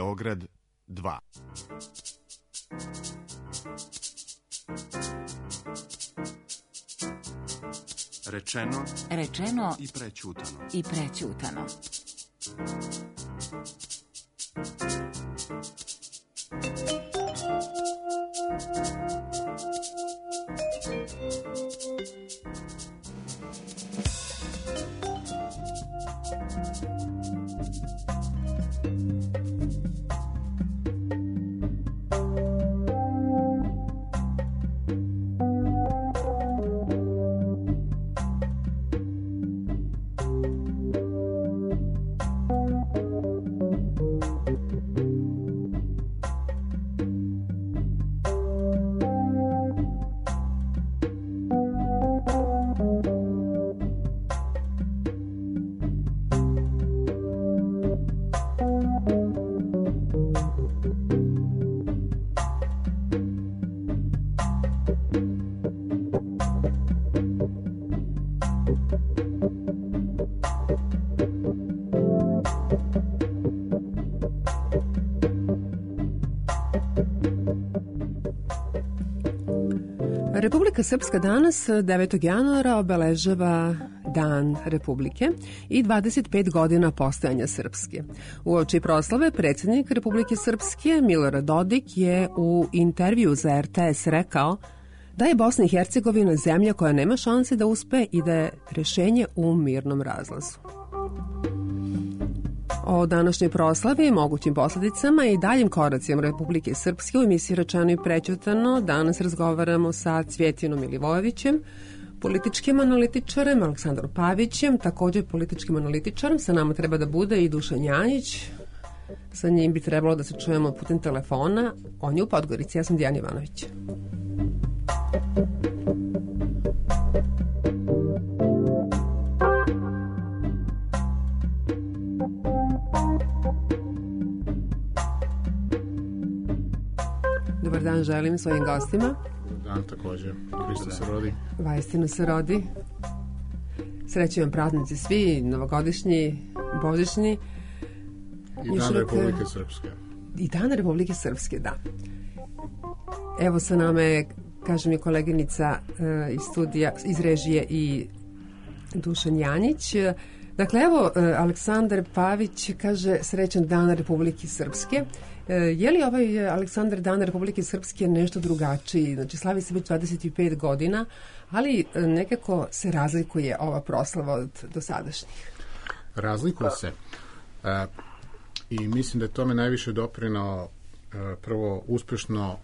Beograd 2. Rečeno i prećutano. Republika Srpska danas, 9. januara, obeležava Dan Republike i 25 godina postojanja Srpske. Uoči proslave predsjednik Republike Srpske Milorad Dodik je u intervju za RTS rekao da je Bosna i Hercegovina zemlja koja nema šanse da uspe i da je rješenje u mirnom razlazu. O današnjoj proslavi, mogućim posljedicama i daljim koracima Republike Srpske u emisiji Rečeno i prećutano danas razgovaramo sa Cvjetinom Milivojevićem, političkim analitičarem, Aleksandrom Pavićem, također političkim analitičarem. Sa nama treba da bude i Dušan Janjić. Sa njim bi trebalo da se čujemo putem telefona. On je u Podgorici, ja sam Dijana Ivanović. Dobar dan želim svojim gostima. Dobar dan također. Hristos se rodi. Vaistinu se rodi. Srećni vam praznici svi, novogodišnji, božićni. I Dan Republike Srpske. I Dan Republike Srpske, da. Evo sa nama je, kaže mi koleginica iz studija, iz režije i Dušan Janjić. Dakle, evo, Aleksandar Pavić kaže srećan Dan Republike Srpske. Je li ovaj Aleksandar Dan Republike Srpske nešto drugačiji? Znači, slavi se već 25 godina, ali nekako se razlikuje ova proslava od dosadašnjih. Razlikuje se. I mislim da je tome najviše doprinao prvo uspješno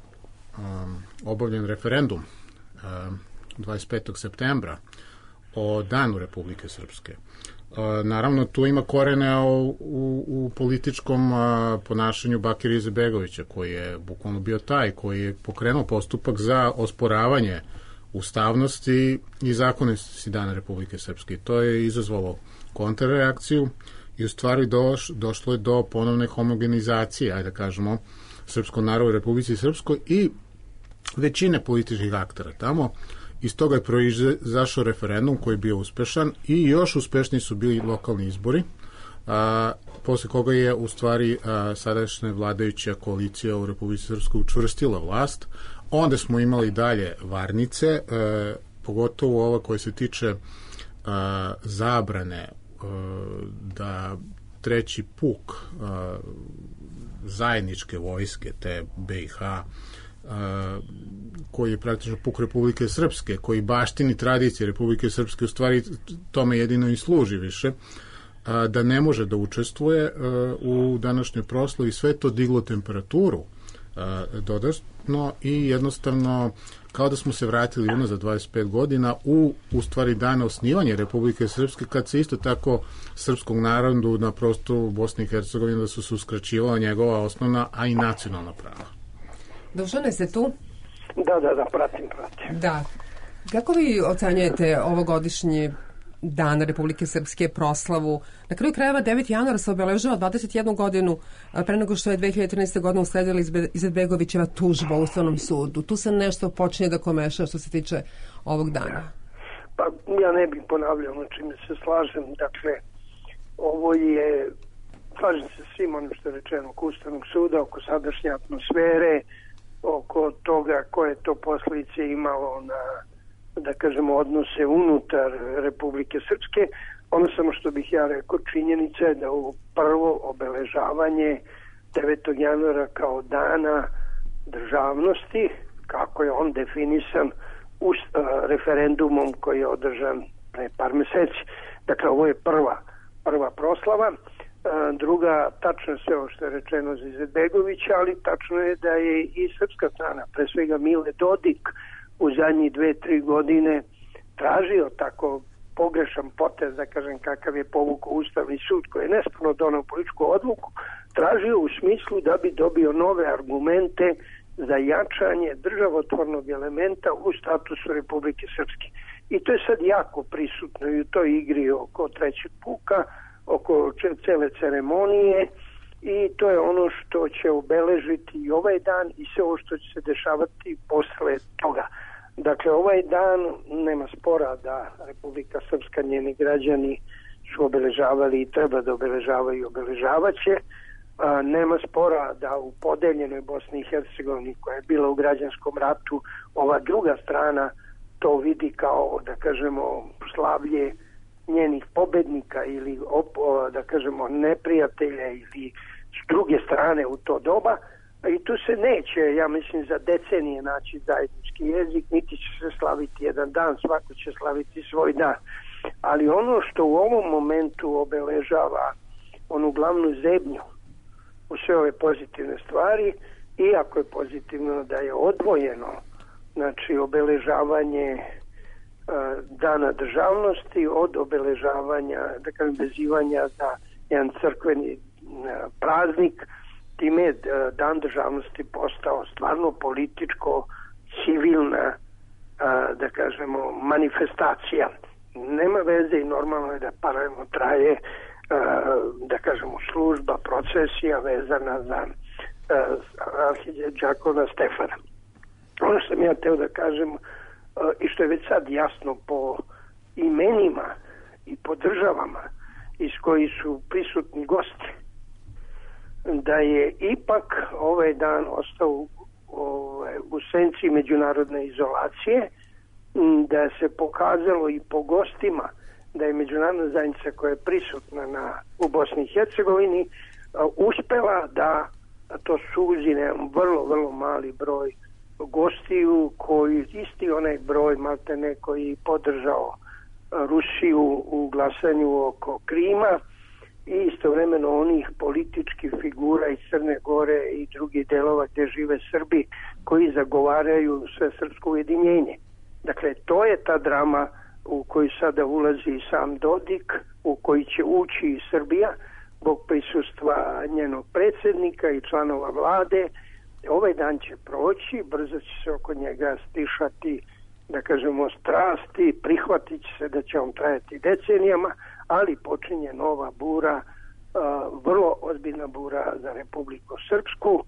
obavljen referendum 25. septembra o Danu Republike Srpske. Naravno, tu ima korene u političkom ponašanju Bakira Izetbegovića, koji je bukvalno bio taj koji je pokrenuo postupak za osporavanje ustavnosti i zakonitosti Dana Republike Srpske. To je izazvalo kontrreakciju i u stvari došlo je do ponovne homogenizacije, ajde da kažemo, srpskog naroda u Republici Srpskoj i većine političkih aktera tamo. Iz toga je proizašao referendum koji je bio uspešan i još uspešniji su bili lokalni izbori, posle koga je u stvari sadašnja vladajuća koalicija u Republici Srpskoj učvrstila vlast. Onda smo imali dalje varnice, pogotovo ova koja se tiče zabrane da treći puk zajedničke vojske te BiH, koji je praktično puk Republike Srpske, koji baštini tradicije Republike Srpske, u stvari tome jedino i služi više, da ne može da učestvuje u današnjoj proslavi. Sve to diglo temperaturu dodatno i jednostavno kao da smo se vratili unazad 25 godina u stvari dana osnivanja Republike Srpske, kad se isto tako srpskog narodu na prostoru Bosne i Hercegovine da su se uskraćivala njegova osnovna, a i nacionalna prava. Dušane, ste tu? Da, pratim. Da. Kako vi ocenjujete ovogodišnji Dan Republike Srpske proslavu? Na kraju krajeva 9. januara se obeležava 21 godinu pre nego što je 2013. godina usledila Izetbegovićeva tužba u Ustavnom sudu. Tu se nešto počinje da komeša što se tiče ovog dana. Pa ja ne bih ponavljao, na čime se slažem. Dakle, ovo je slažem se svim onim što je rečeno oko Ustavnog suda, oko sadašnje atmosfere, oko toga koje to posljedice imalo na, da kažemo, odnose unutar Republike Srpske. Ono samo što bih ja rekao, činjenica je da ovo prvo obeležavanje 9. januara kao dana državnosti, kako je on definisan referendumom koji je održan pre par meseci. Dakle, ovo je prva proslava. Druga, tačno je sve ovo što je rečeno za Izetbegovića, ali tačno je da je i srpska strana, pre svega Mile Dodik, u zadnjih 2-3 godine tražio tako pogrešan potez, da kažem, kakav je povukao Ustavni sud, koji je nesporno donao političku odluku, tražio u smislu da bi dobio nove argumente za jačanje državotvornog elementa u statusu Republike Srpske. I to je sad jako prisutno i u toj igri oko trećeg puka, oko cele ceremonije, i to je ono što će obeležiti i ovaj dan i sve ovo što će se dešavati posle toga. Dakle, ovaj dan nema spora da Republika Srpska, njeni građani su obeležavali i treba da obeležavaju i obeležavaće. Nema spora da u podeljenoj Bosni i Hercegovini, koja je bila u građanskom ratu, ova druga strana to vidi kao, da kažemo, slavlje njenih pobednika ili, da kažemo, neprijatelja ili s druge strane u to doba. I tu se neće, ja mislim, za decenije naći zajednički jezik, niti će se slaviti jedan dan, svako će slaviti svoj dan. Ali ono što u ovom momentu obeležava onu glavnu zebnju u sve ove pozitivne stvari, iako je pozitivno da je odvojeno, znači obeležavanje dana državnosti od obeležavanja, da kažem, vezivanja za jedan crkveni praznik, time je dan državnosti postao stvarno političko, civilna, da kažemo, manifestacija. Nema veze i normalno je da paralelno traje, da kažemo, služba, procesija vezana za arhidijakona Stefana. Ono što sam ja teo da kažem i što je već sad jasno po imenima i po državama iz koji su prisutni gosti, da je ipak ovaj dan ostao u senci međunarodne izolacije, da se pokazalo i po gostima da je međunarodna zajednica koja je prisutna u Bosni i Hercegovini uspela da to suzi na vrlo, vrlo mali broj gostiju, koji isti onaj broj maltene koji podržao Rusiju u glasanju oko Krima, i istovremeno onih političkih figura iz Crne Gore i drugih delova gdje žive Srbi koji zagovaraju sve srpsko ujedinjenje. Dakle, to je ta drama u koju sada ulazi i sam Dodik, u koji će ući i Srbija zbog prisustva njenog predsjednika i članova vlade. Ovaj dan će proći, brzo će se oko njega stišati, da kažemo, strasti, prihvatit će se da će on trajati decenijama, ali počinje nova bura, vrlo ozbiljna bura za Republiku Srpsku,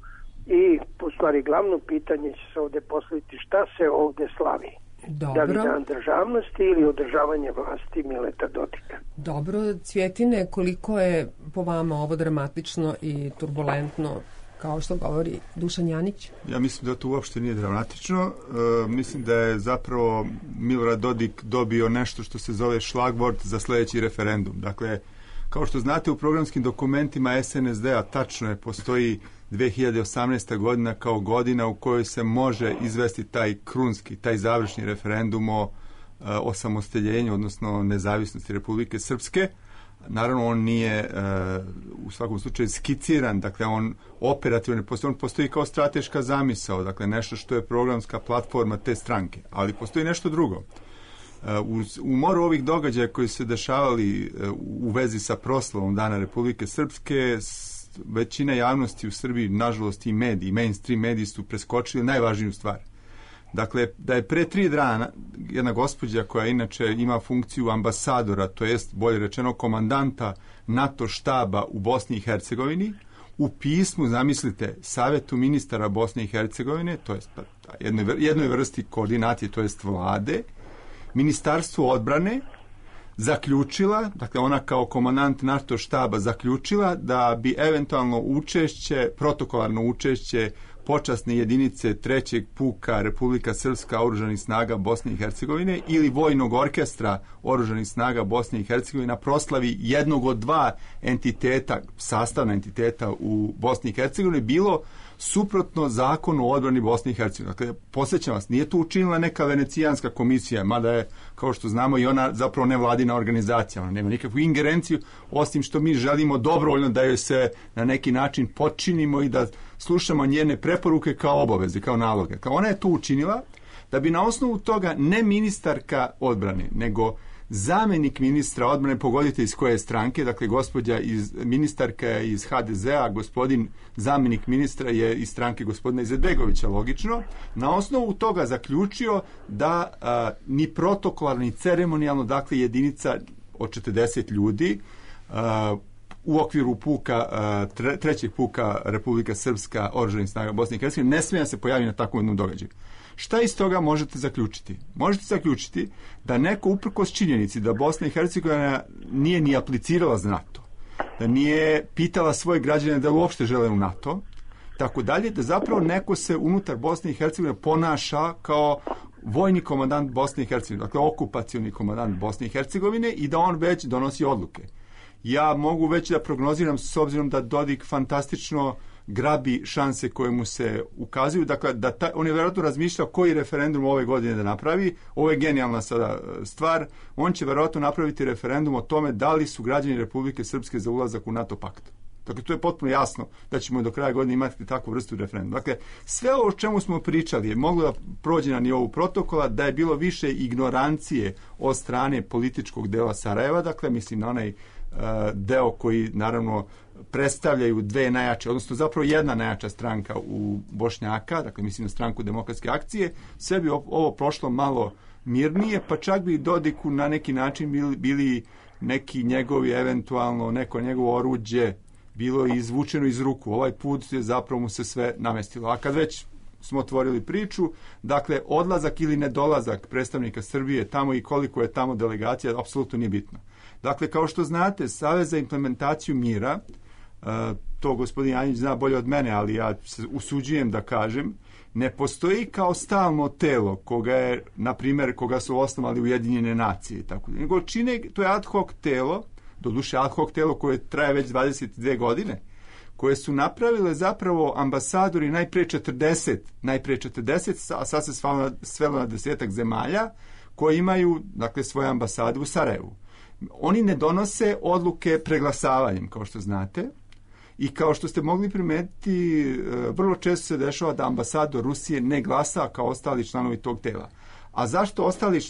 i u stvari glavno pitanje će se ovdje postaviti šta se ovdje slavi. Dobro. Da li dan državnosti ili održavanje vlasti Mileta Dodika. Dobro, Cvjetine, koliko je po vama ovo dramatično i turbulentno, kao što govori Dušan Janić? Ja mislim da to uopšte nije dramatično. Mislim da je zapravo Milorad Dodik dobio nešto što se zove šlagvort za sljedeći referendum. Dakle, kao što znate, u programskim dokumentima SNSD-a tačno je, postoji 2018. godina kao godina u kojoj se može izvesti taj krunski, taj završni referendum o osamostaljenju, odnosno nezavisnosti Republike Srpske. Naravno, on nije u svakom slučaju skiciran, dakle on operativno postoji, on postoji kao strateška zamisao, dakle nešto što je programska platforma te stranke, ali postoji nešto drugo. U moru ovih događaja koji se dešavali u vezi sa proslavom Dana Republike Srpske, većina javnosti u Srbiji, nažalost i mediji, mainstream mediji su preskočili najvažniju stvar. Dakle, da je pre 3 dana jedna gospođa koja inače ima funkciju ambasadora, to jest bolje rečeno komandanta NATO štaba u Bosni i Hercegovini, u pismu, zamislite, Savetu ministara Bosne i Hercegovine, to jest jednoj vrsti koordinacije, to jest vlade, Ministarstvu odbrane, zaključila, dakle ona kao komandant NATO štaba zaključila da bi eventualno učešće, protokolarno učešće počasne jedinice 3. puka Republika Srpska oružanih snaga Bosne i Hercegovine ili vojnog orkestra oružanih snaga Bosne i Hercegovine na proslavi jednog od dva entiteta, sastavna entiteta u Bosni i Hercegovini bilo suprotno zakonu o odbrani Bosne i Hercegovine. Dakle, posjećam vas, nije to učinila neka venecijanska komisija, mada je, kao što znamo, i ona zapravo nevladina organizacija. Ona nema nikakvu ingerenciju, osim što mi želimo dobrovoljno da joj se na neki način počinimo i da slušamo njene preporuke kao obaveze, kao naloge. Ona je to učinila da bi na osnovu toga ne ministarka odbrane, nego zamenik ministra odbrane, pogodite iz koje stranke, dakle ministarka je iz HDZ-a, gospodin zamenik ministra je iz stranke gospodina Izetbegovića, logično, na osnovu toga zaključio da ni protokolarno ni ceremonijalno, dakle jedinica od 40 ljudi u okviru puka, 3. puka Republika Srpska oružanih snaga Bosne i Hercegovine ne smije se pojaviti na takvom jednom događaju. Šta iz toga možete zaključiti? Možete zaključiti da neko uprkos činjenici da Bosna i Hercegovina nije ni aplicirala za NATO, da nije pitala svoje građane da uopšte žele u NATO, tako dalje, da zapravo neko se unutar Bosne i Hercegovine ponaša kao vojni komandant Bosne i Hercegovine, dakle okupacioni komandant Bosne i Hercegovine i da on već donosi odluke. Ja mogu već da prognoziram, s obzirom da Dodik fantastično grabi šanse koje mu se ukazuju. Dakle, on je vjerojatno razmišljao koji referendum ove godine da napravi. Ovo je genijalna sada stvar. On će vjerojatno napraviti referendum o tome da li su građani Republike Srpske za ulazak u NATO pakt. Dakle, to je potpuno jasno da ćemo do kraja godine imati takvu vrstu referenduma. Dakle, sve ovo o čemu smo pričali je moglo da prođe na nivou protokola, da je bilo više ignorancije od strane političkog dela Sarajeva, dakle, mislim na onaj deo koji naravno predstavljaju dve najjače, odnosno zapravo jedna najjača stranka u Bošnjaka, dakle mislim na stranku Demokratske akcije, sve bi ovo prošlo malo mirnije, pa čak bi Dodiku na neki način bili neki njegovi, eventualno neko njegovo oruđe bilo izvučeno iz ruku. Ovaj put je zapravo mu se sve namestilo. A kad već smo otvorili priču, dakle odlazak ili nedolazak predstavnika Srbije tamo i koliko je tamo delegacija, apsolutno nije bitno. Dakle, kao što znate, Savez za implementaciju mira, to gospodin Janjić zna bolje od mene, ali ja se usuđujem da kažem, ne postoji kao stalno telo koga je, na primjer, koga su osnovali Ujedinjene nacije, tako, nego čine, to je ad hoc telo, doduše ad hoc telo koje traje već 22 godine, koje su napravile zapravo ambasadori najpre 40, a sad se svelo na 10-ak zemalja koje imaju, dakle, svoje ambasade u Sarajevu. Oni ne donose odluke preglasavanjem, kao što znate, i kao što ste mogli primetiti, vrlo često se dešava da ambasador Rusije ne glasa kao ostali članovi tog tela. A zašto ostali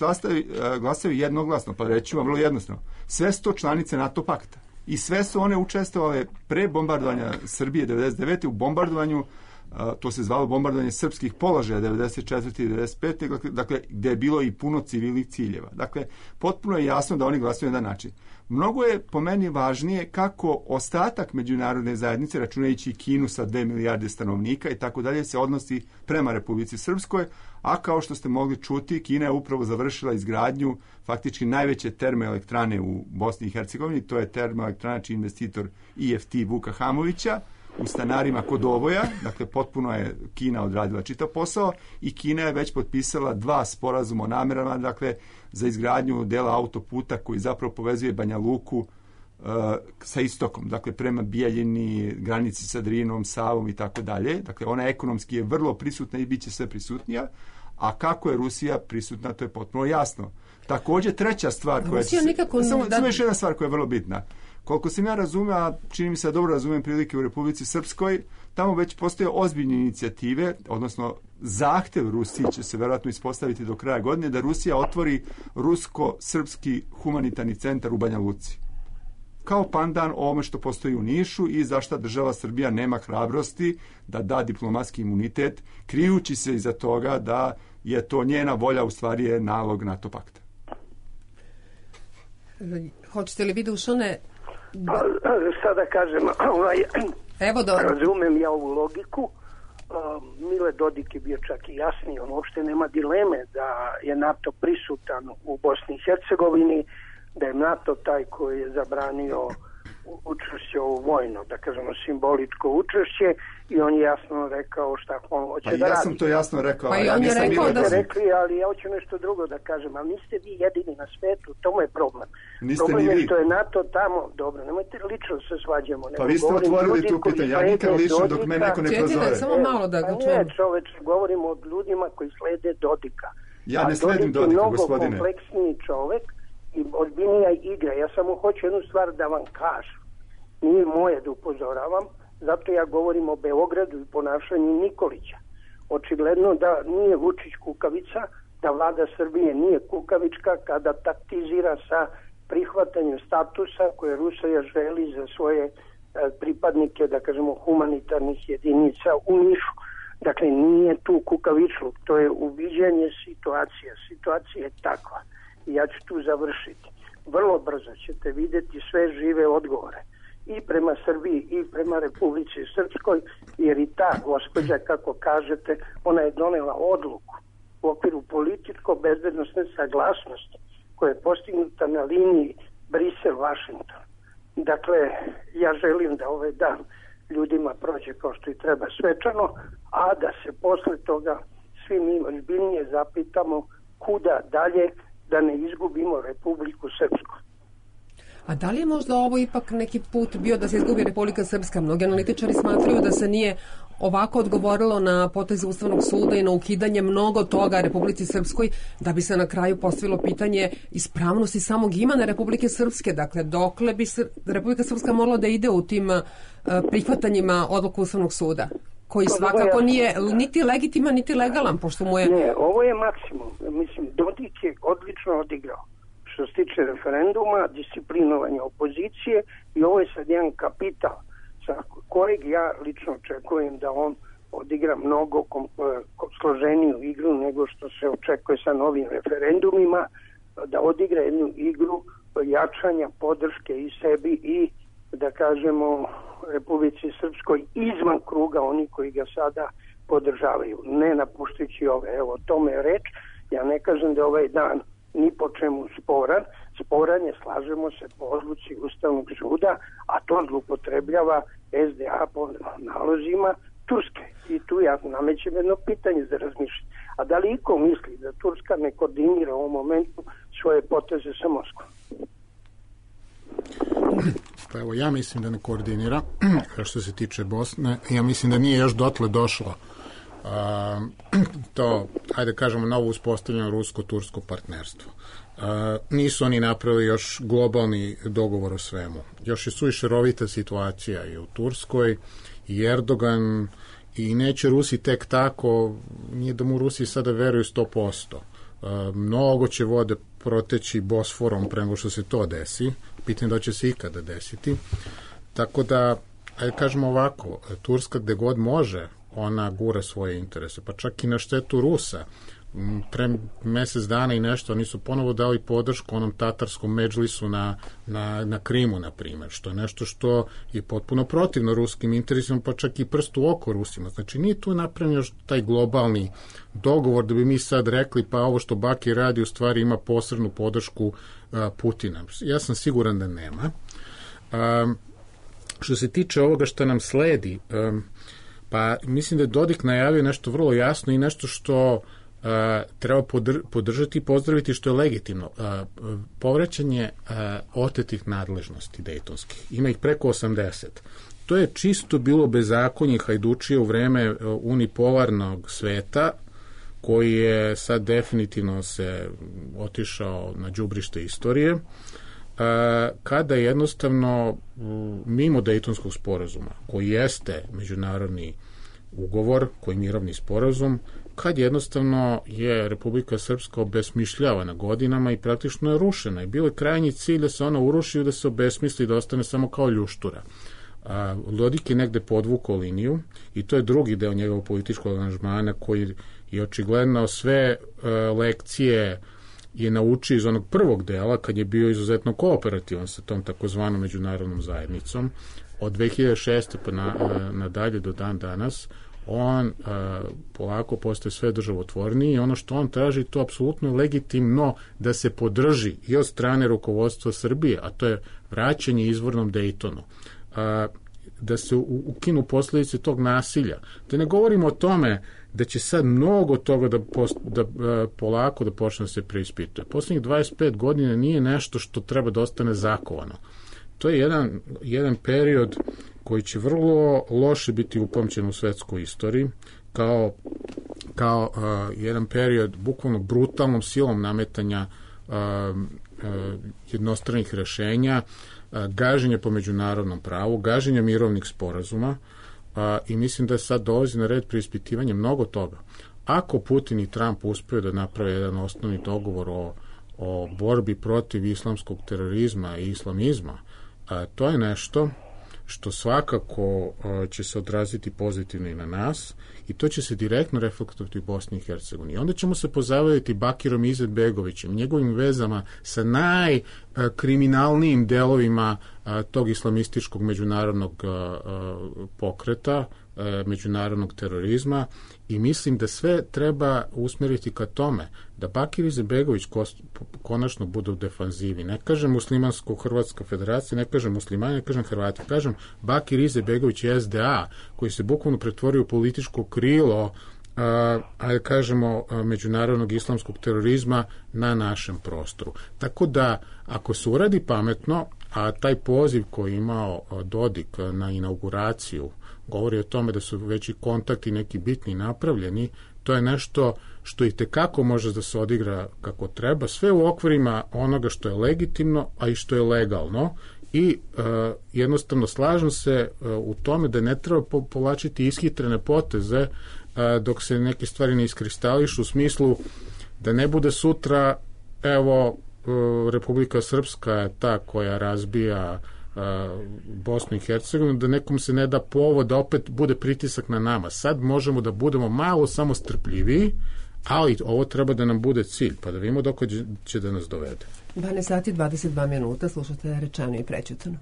glasaju jednoglasno? Pa reći vam vrlo jednostavno. Sve su to članice NATO pakta. I sve su one učestvovale pre bombardovanja Srbije 99. u bombardovanju, to se zvalo bombardovanje srpskih položaja 94. i 95. Dakle, gdje je bilo i puno civilnih ciljeva. Dakle, potpuno je jasno da oni glasuju na jedan način. Mnogo je po meni važnije kako ostatak međunarodne zajednice, računajući Kinu sa 2 milijarde stanovnika i tako dalje, se odnosi prema Republici Srpskoj, a kao što ste mogli čuti, Kina je upravo završila izgradnju faktički najveće termoelektrane u Bosni i Hercegovini, to je termoelektrana čiji investitor IFT Vuka Hamovića, u Stanarima kod Oboja, dakle potpuno je Kina odradila čitav posao i Kina je već potpisala 2 sporazuma o namerama, dakle za izgradnju dela autoputa koji zapravo povezuje Banja Luku sa istokom, dakle prema Bijeljini, granici sa Drinom, Savom i tako dalje. Dakle, ona ekonomski je vrlo prisutna i bit će sve prisutnija, a kako je Rusija prisutna, to je potpuno jasno. Također, treća stvar koja samo još jedna stvar koja je vrlo bitna. Koliko sam ja razumio, a čini mi se da dobro razumijem prilike u Republici Srpskoj, tamo već postoje ozbiljne inicijative, odnosno zahtev Rusiji će se vjerojatno ispostaviti do kraja godine, da Rusija otvori rusko-srpski humanitarni centar u Banja Luci. Kao pandan ovome što postoji u Nišu i zašto država Srbija nema hrabrosti da da diplomatski imunitet, krijući se iza toga da je to njena volja, u stvari je nalog NATO pakta. Hoćete li vi, Dušane? Sada kažem, Evo razumem ja ovu logiku. Mile Dodik je bio čak i jasniji, on uopšte nema dileme da je NATO prisutan u Bosni i Hercegovini, da je NATO taj koji je zabranio učešće u vojno, da kažemo simboličko učešće, i on je jasno rekao šta on hoće da radi. Ja sam to jasno rekao. Pa i on je rekao da rekli, ali ja hoću nešto drugo da kažem, ali niste vi jedini na svetu, to je problem. Niste problem ni je vi. što je NATO tamo, dobro, nemojte lično se svađamo. Pa vi ste otvorili tu pitanje, ja nikad lično dok me neko ne prozove. Samo malo da ga čujem. Ne, čoveče, govorimo o ljudima koji slede Dodika. Ja ne sledim Dodika, gospodine. Mnogo kompleksniji čovek i ozbiljnija igra. Ja samo hoću jednu stvar da vam kažem. Nije moje da upozoravam, zato ja govorim o Beogradu i ponašanju Nikolića. Očigledno da nije Vučić kukavica, da vlada Srbije nije kukavička kada taktizira sa prihvatanjem statusa koje Rusija želi za svoje pripadnike, da kažemo, humanitarnih jedinica u Nišu. Dakle, nije tu kukavičluk, to je uviđanje situacije. Situacija je takva. I ja ću tu završiti. Vrlo brzo ćete vidjeti sve žive odgovore. I prema Srbiji i prema Republici Srpskoj, jer i ta gospođa, kako kažete, ona je donela odluku u okviru političko-bezbednostne saglasnosti koja je postignuta na liniji Brisel-Washington. Dakle, ja želim da ovaj dan ljudima prođe kao što i treba svečano, a da se posle toga svi mi ozbiljnije zapitamo kuda dalje, da ne izgubimo Republiku Srpsku. A da li je možda ovo ipak neki put bio da se izgubi Republika Srpska? Mnogi analitičari smatraju da se nije ovako odgovorilo na potez Ustavnog suda i na ukidanje mnogo toga Republici Srpskoj, da bi se na kraju postavilo pitanje ispravnosti samog imena Republike Srpske. Dakle, dokle bi Republika Srpska morala da ide u tim prihvatanjima odluku Ustavnog suda, koji svakako nije niti legitiman, niti legalan, pošto mu je... Ne, ovo je maksimum. Mislim, Dodik je odlično odigrao što se tiče referenduma, disciplinovanja opozicije, i ovo je sad jedan kapital sa kojeg ja lično očekujem da on odigra mnogo složeniju igru nego što se očekuje sa novim referendumima, da odigra jednu igru jačanja podrške i sebi i, da kažemo, Republici Srpskoj izvan kruga oni koji ga sada podržavaju, ne napuštajući ove. Evo, o tome je reč. Ja ne kažem da ovaj dan ni po čemu sporan je, slažemo se, po odluci Ustavnog suda, a to zloupotrebljava SDA po nalozima Turske. I tu ja namećem jedno pitanje za razmišljanje. A da li iko misli da Turska ne koordinira u ovom momentu svoje poteze sa Moskvom? Pa evo, ja mislim da ne koordinira. Što se tiče Bosne, ja mislim da nije još dotle došlo to, hajde kažemo, novo uspostavljeno rusko-tursko partnerstvo. Nisu oni napravili još globalni dogovor o svemu. Još je suviše rovita situacija i u Turskoj, i Erdogan, i neće Rusi tek tako, nije da mu Rusi sada veruju 100%. Mnogo će vode proteći Bosforom pre nego što se to desi. Pitanje da će se ikada desiti. Tako da, hajde kažemo ovako, Turska gde god može, ona gura svoje interese, pa čak i na štetu Rusa. Pre mesec dana i nešto oni su ponovo dali podršku onom tatarskom medžlisu na Krimu, na primjer, što je nešto što je potpuno protivno ruskim interesima, pa čak i prstu oko Rusima. Znači, nije tu napravljen još taj globalni dogovor da bi mi sad rekli, pa ovo što Bakir radi u stvari ima posrednu podršku Putina. Ja sam siguran da nema. Što se tiče ovoga što nam sledi, pa mislim da je Dodik najavio nešto vrlo jasno i nešto što treba podržati i pozdraviti, što je legitimno. Povraćanje otetih nadležnosti dejtonskih. Ima ih preko 80. To je čisto bilo bezakonje hajdučije u vreme unipolarnog sveta, koji je sad definitivno se otišao na đubrište istorije, kada jednostavno mimo Dejtonskog sporazuma, koji jeste međunarodni ugovor, koji je mirovni sporazum, kad jednostavno je Republika Srpska obesmišljavana godinama i praktično je rušena. I bilo je krajnji cilj da se ona uruši i da se obesmisli, da ostane samo kao ljuštura. Dodik je negde podvukao liniju i to je drugi deo njegovog političkog aranžmana, koji je očigledno sve lekcije je naučio iz onog prvog dela, kad je bio izuzetno kooperativan sa tom takozvanom međunarodnom zajednicom. Od 2006. pa nadalje do dan danas on polako postaje sve državotvorniji i ono što on traži, to apsolutno je legitimno da se podrži i od strane rukovodstva Srbije, a to je vraćanje izvornom Dejtonu. Da se ukinu posljedice tog nasilja. Da ne govorimo o tome da će sad mnogo toga polako da počne da se preispituje. Poslednjih 25 godina nije nešto što treba da ostane zakovano. To je jedan period koji će vrlo loše biti upamćen u svetskoj istoriji, kao jedan period bukvalno brutalnom silom nametanja jednostranih rešenja, gaženje po međunarodnom pravu, gaženje mirovnih sporazuma i mislim da sad dolazi na red preispitivanje mnogo toga. Ako Putin i Trump uspeju da naprave jedan osnovni dogovor o borbi protiv islamskog terorizma i islamizma, to je nešto što svakako će se odraziti pozitivno i na nas i to će se direktno reflektovati u Bosni i Hercegovini. Onda ćemo se pozabaviti Bakirom Izetbegovićem, njegovim vezama sa najkriminalnijim delovima tog islamističkog međunarodnog pokreta, međunarodnog terorizma i mislim da sve treba usmeriti ka tome da Bakir Izetbegović konačno bude u defanzivi. Ne kažem Muslimansko-Hrvatska federacija, ne kažem muslimani, ne kažem Hrvati, kažem Bakir Izetbegović je SDA koji se bukvalno pretvorio u političko krilo kažemo međunarodnog islamskog terorizma na našem prostoru. Tako da ako se uradi pametno, a taj poziv koji je imao Dodik na inauguraciju govori o tome da su već i kontakti neki bitni napravljeni, to je nešto što i tekako može da se odigra kako treba, sve u okvirima onoga što je legitimno, a i što je legalno i jednostavno slažem se u tome da ne treba povlačiti ishitrene poteze dok se neke stvari ne iskristališu u smislu da ne bude sutra evo Republika Srpska je ta koja razbija Bosnu i Hercegovinu, da nekom se ne da povod da opet bude pritisak na nama. Sad možemo da budemo malo samo strpljiviji, ali ovo treba da nam bude cilj, pa da vidimo dok će da nas dovede. 12 sati 22 minuta, slušate Rečeno i prećutano.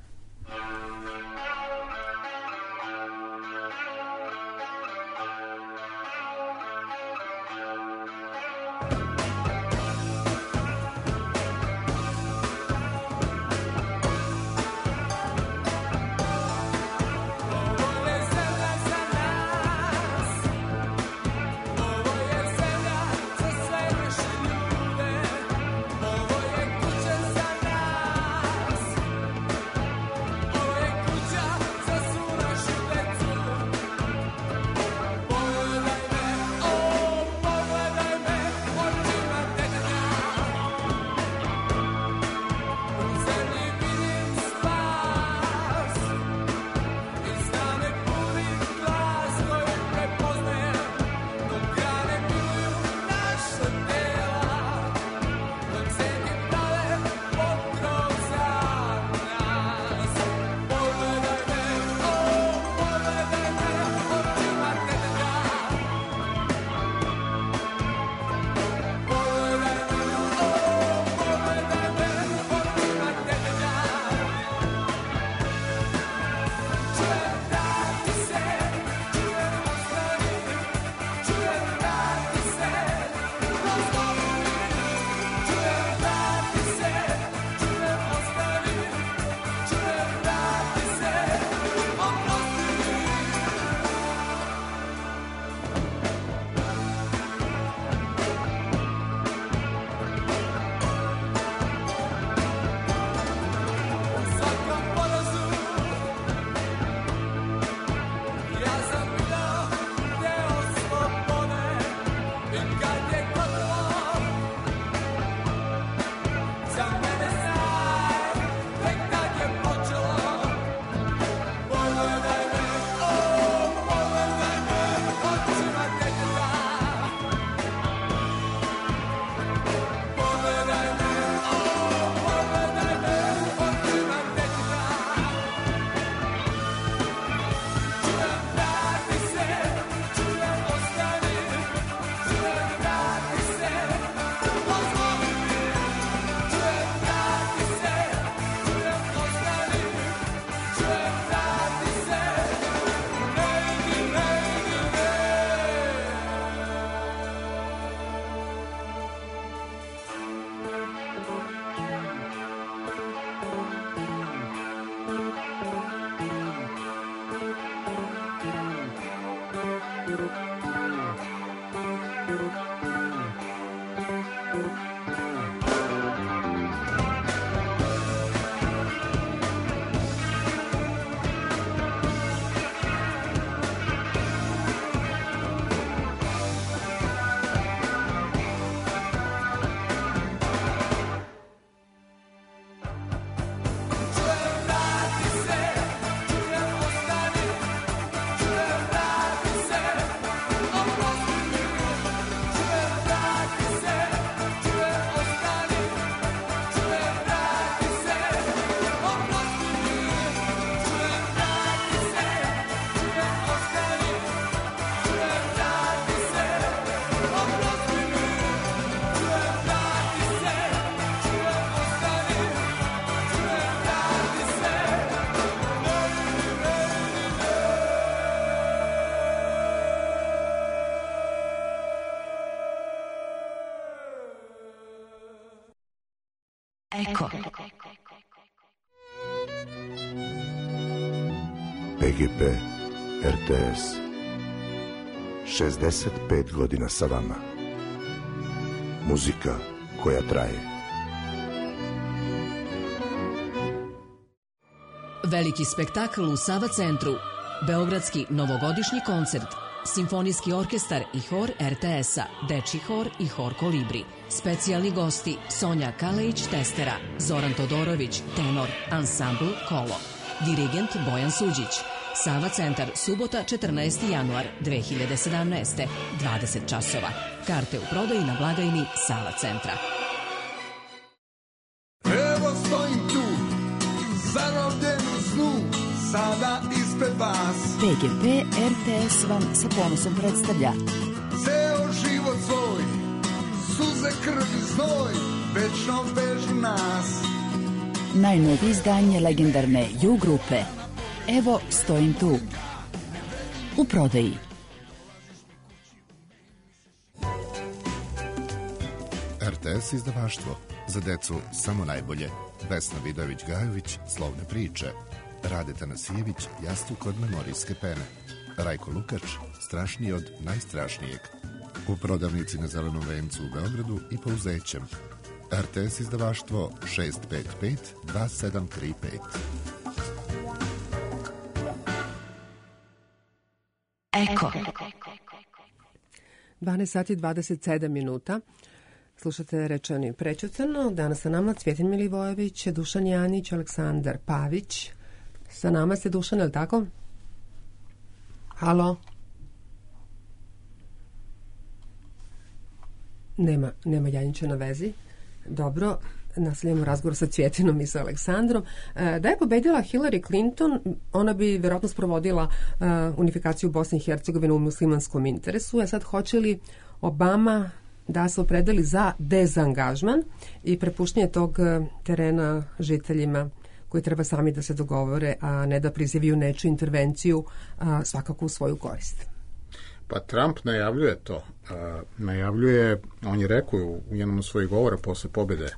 Eko. PGP RTS 65 godina sa vama. Muzika koja traje. Veliki spektakl u Sava centru. Beogradski novogodišnji koncert. Simfonijski orkestar i hor RTS-a, dečji hor i hor Kolibri. Specijalni gosti Sonja Kalejić Testera, Zoran Todorović tenor, ansambl Kolo. Dirigent Bojan Suđić. Sava centar, subota 14. januar 2017. 20 časova. Karte u prodaji na blagajni Sava centra. Evo stojim tu, zarobljen u snu, sada ispred vas. PGP RTS vam sa ponosom predstavlja Ceo život svoj, suze, krv i znoj, večno vežu nas. najnovije izdanje legendarne U grupe Evo stojim tu. U prodaji. RTS izdavaštvo. Za decu samo najbolje. Vesna Vidojević-Gajović, Slovne priče. Rade Tanasijević, Jastuk od memorijske pene. Rajko Lukač, Strašniji od najstrašnijeg. U prodavnici na Zelenom vencu u Beogradu i po Uzećem. RTS izdavaštvo 655 2735. Eko. 12 sati 27 minuta. Slušate Rečani prečutano. Danas sa nama Cvjetin Milivojević, Dušan Janić, Aleksandar Pavić. Sa nama ste, Dušan, je li tako? Halo? Nema Janića na vezi. Dobro, nastavljamo razgovor sa Cvjetinom i sa Aleksandrom. Da je pobedila Hillary Clinton, ona bi vjerojatno sprovodila unifikaciju Bosne i Hercegovine u muslimanskom interesu. A sad, hoće li Obama da se opredeli za dezangažman i prepuštanje tog terena žiteljima koji treba sami da se dogovore, a ne da prizivaju nečiju intervenciju, svakako u svoju korist? Pa Trump najavljuje to. Najavljuje, on je rekao u jednom od svojih govora posle pobjede,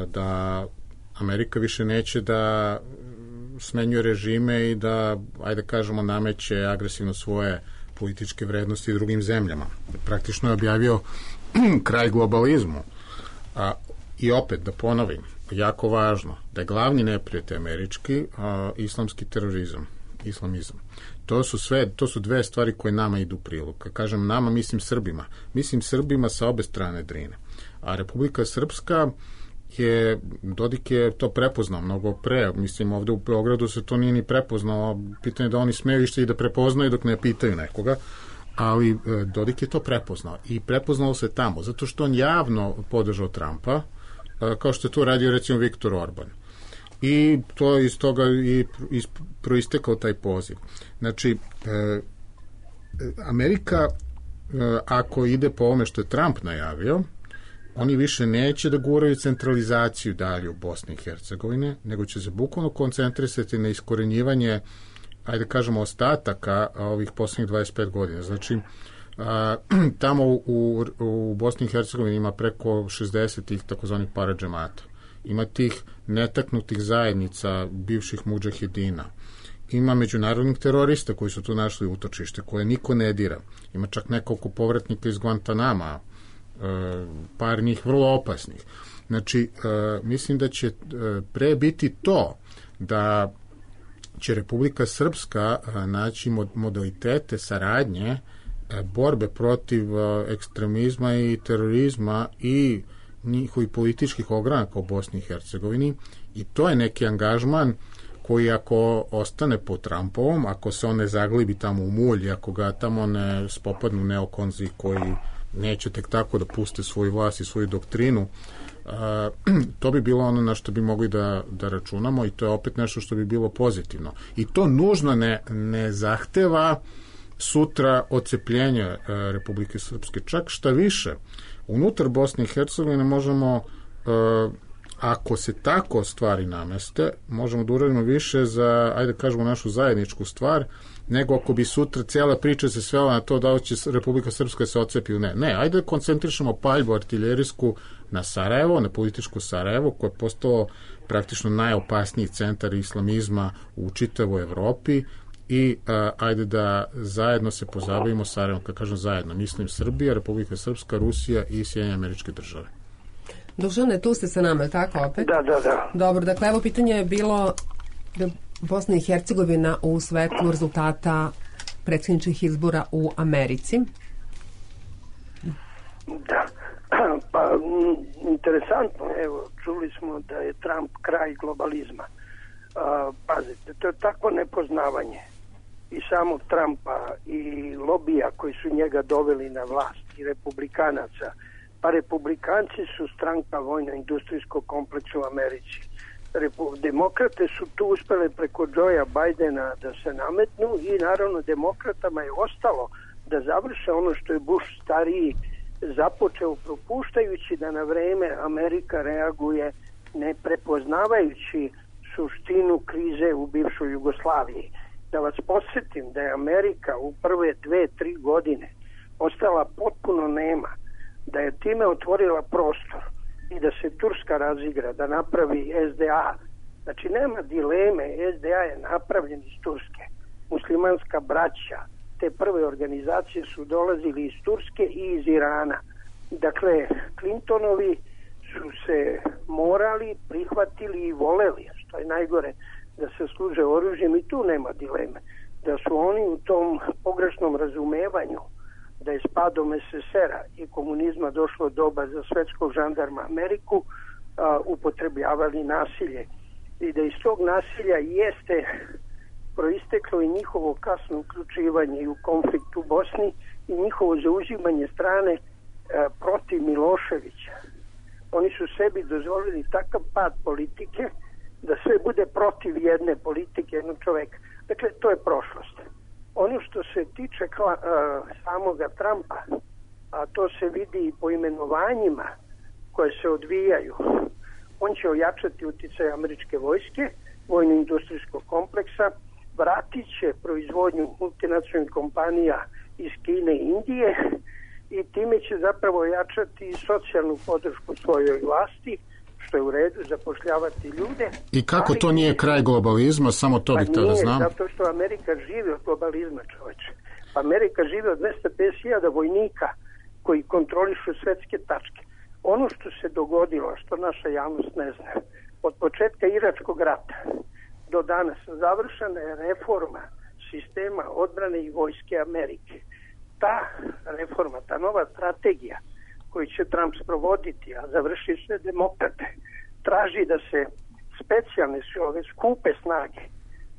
da Amerika više neće da smenjuje režime i da, ajde kažemo, nameće agresivno svoje političke vrednosti drugim zemljama. Praktično je objavio kraj globalizmu. I opet, da ponovim, jako važno, da je glavni neprijatelj američki islamski terorizam, islamizam. To su dve stvari koje nama idu u prilog. Kad kažem nama, mislim Srbima sa obe strane Drine. A Republika Srpska Dodik je to prepoznao mnogo pre, mislim ovde u Beogradu se to nije ni prepoznao, pitanje je da oni smeju išta i da prepoznaju dok ne pitaju nekoga, ali Dodik je to prepoznao i prepoznao se tamo, zato što on javno podržao Trumpa, kao što je to radio recimo Viktor Orban. I to iz toga i proistekao taj poziv. Znači, Amerika, ako ide po ovome što je Trump najavio, oni više neće da guraju centralizaciju dalje u Bosni i Hercegovine, nego će se bukvalno koncentrisati na iskorenjivanje, ajde kažemo, ostataka ovih posljednjih 25 godina. Znači, tamo u Bosni i Hercegovini ima preko 60 tih takozvanih paradžemata. Ima tih netaknutih zajednica bivših mudžahedina. ima međunarodnih terorista koji su tu našli utočište, koje niko ne dira. Ima čak nekoliko povratnika iz Guantanama, par njih vrlo opasnih. Znači, mislim da će pre biti to da će Republika Srpska naći modalitete saradnje borbe protiv ekstremizma i terorizma i njihovih političkih ogranaka u Bosni i Hercegovini, i to je neki angažman koji ako ostane po Trumpovom, ako se on ne zaglibi tamo u mulj, ako ga tamo ne spopadnu neokonzi koji neće tek tako da puste svoju vlast i svoju doktrinu, to bi bilo ono na što bi mogli da računamo, i to je opet nešto što bi bilo pozitivno. I to nužno ne zahteva sutra odcepljenje Republike Srpske. Čak šta više, unutar Bosne i Hercegovine možemo, ako se tako stvari nameste, možemo da uradimo više za, ajde kažemo, našu zajedničku stvar, nego ako bi sutra cijela priča se svela na to da će Republika Srpska se odcepi ili ne. Ne, ajde da koncentrišemo paljbu artiljerijsku na Sarajevo, na političko Sarajevo, koje je postalo praktično najopasniji centar islamizma u čitavoj Evropi, i ajde da zajedno se pozabavimo Sarajevom. Kad kažem zajedno, mislim Srbija, Republika Srpska, Rusija i Sjedinjene Američke Države. Dušane, tu ste sa nama, tako opet? Da. Dobro, dakle, evo pitanje je bilo Bosna i Hercegovina u svetlu rezultata predsjedničkih izbora u Americi. Da, pa interesantno, evo, čuli smo da je Trump kraj globalizma. Pazite, to je takvo nepoznavanje i samog Trumpa i lobija koji su njega doveli na vlast i republikanaca. Pa republikanci su stranka vojno-industrijskog kompleksa u Americi. Demokrate su tu uspele preko Joea Bidena da se nametnu, i naravno demokratama je ostalo da završe ono što je Bush stariji započeo, propuštajući da na vreme Amerika reaguje, ne prepoznavajući suštinu krize u bivšoj Jugoslaviji. Da vas podsjetim da je Amerika u prve 2-3 godine ostala potpuno nema, da je time otvorila prostor i da se Turska razigra, da napravi SDA. Znači nema dileme, SDA je napravljen iz Turske. Muslimanska braća, te prve organizacije su dolazili iz Turske i iz Irana. Dakle, Clintonovi su se morali, prihvatili i voleli, što je najgore, da se služe oružjem, i tu nema dileme. Da su oni u tom pogrešnom razumevanju da je s padom SSR-a i komunizma došlo doba za svetskog žandarma Ameriku, upotrebljavali nasilje. I da iz tog nasilja jeste proisteklo i njihovo kasno uključivanje i u konflikt u Bosni i njihovo zauzimanje strane protiv Miloševića. Oni su sebi dozvolili takav pad politike da sve bude protiv jedne politike, jednog čoveka. Dakle, to je prošlost. Ono što se tiče samoga Trumpa, a to se vidi i po imenovanjima koje se odvijaju, on će ojačati utjecaj američke vojske, vojno-industrijskog kompleksa, vratit će proizvodnju multinacionalnih kompanija iz Kine i Indije, i time će zapravo ojačati socijalnu podršku svojoj vlasti, što je u redu, zapošljavati ljude. I kako to nije kraj globalizma, samo to bih tada znam? Zato što Amerika živi od globalizma, čoveče. Amerika živi od 250.000 vojnika koji kontrolišu svetske tačke. Ono što se dogodilo, što naša javnost ne zna, od početka Iračkog rata do danas završena je reforma sistema odbrane i vojske Amerike. Ta reforma, ta nova strategija koju će Trump sprovoditi, a završi sve demokrate, traži da se specijalne ove skupe snage,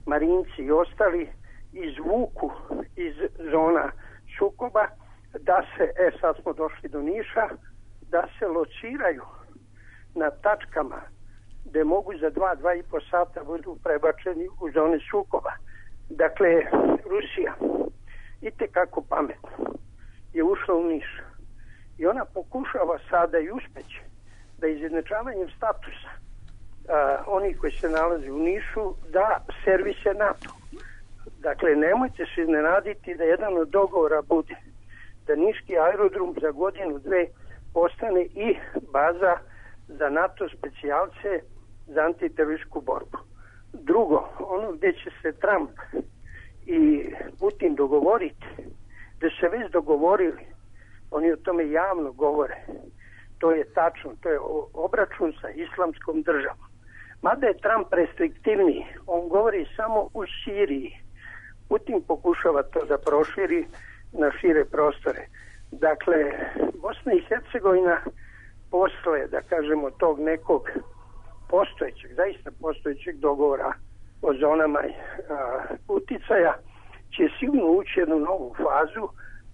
marinci i ostali, izvuku iz zona sukoba, da se, sad smo došli do Niša, da se lociraju na tačkama gde mogu za 2-2,5 sata budu prebačeni u zone sukoba. Dakle, Rusija itekako pametno je ušla u Niš i ona pokušava sada i uspeće da izjednačavanjem statusa onih koji se nalaze u Nišu da servise NATO. Dakle, nemojte se iznenaditi da jedan od dogovora bude da niški aerodrom za godinu, dve postane i baza za NATO specijalce za antiterorističku borbu. Drugo, ono gdje će se Trump i Putin dogovoriti, da se već dogovorili, oni o tome javno govore, to je tačno, to je obračun sa islamskom državom. Mada je Trump restriktivniji, on govori samo u Siriji. Putin pokušava to da proširi na šire prostore. Dakle, Bosna i Hercegovina posle, da kažemo, tog nekog postojećeg, zaista postojećeg dogovora o zonama uticaja, će sigurno ući jednu novu fazu.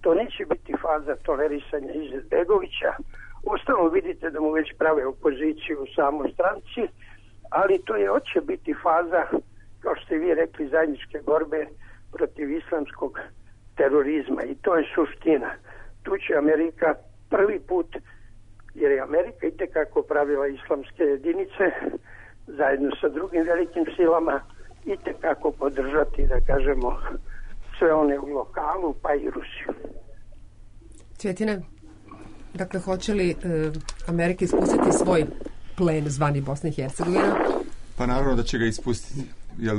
To neće biti faza tolerisanja Izetbegovića. Ustavno vidite da mu već prave opoziciju u samoj stranci, ali to je hoće biti faza, kao što ste vi rekli, zajedničke borbe protiv islamskog terorizma, i to je suština. Tu će Amerika prvi put, jer je Amerika itekako pravila islamske jedinice zajedno sa drugim velikim silama, itekako podržati, da kažemo, sve one u lokalu, pa i Rusiju. Cvjetine, dakle, hoće li Amerika ispustiti svoj plen zvani Bosna i Hercegovina? Pa naravno da će ga ispustiti. Jer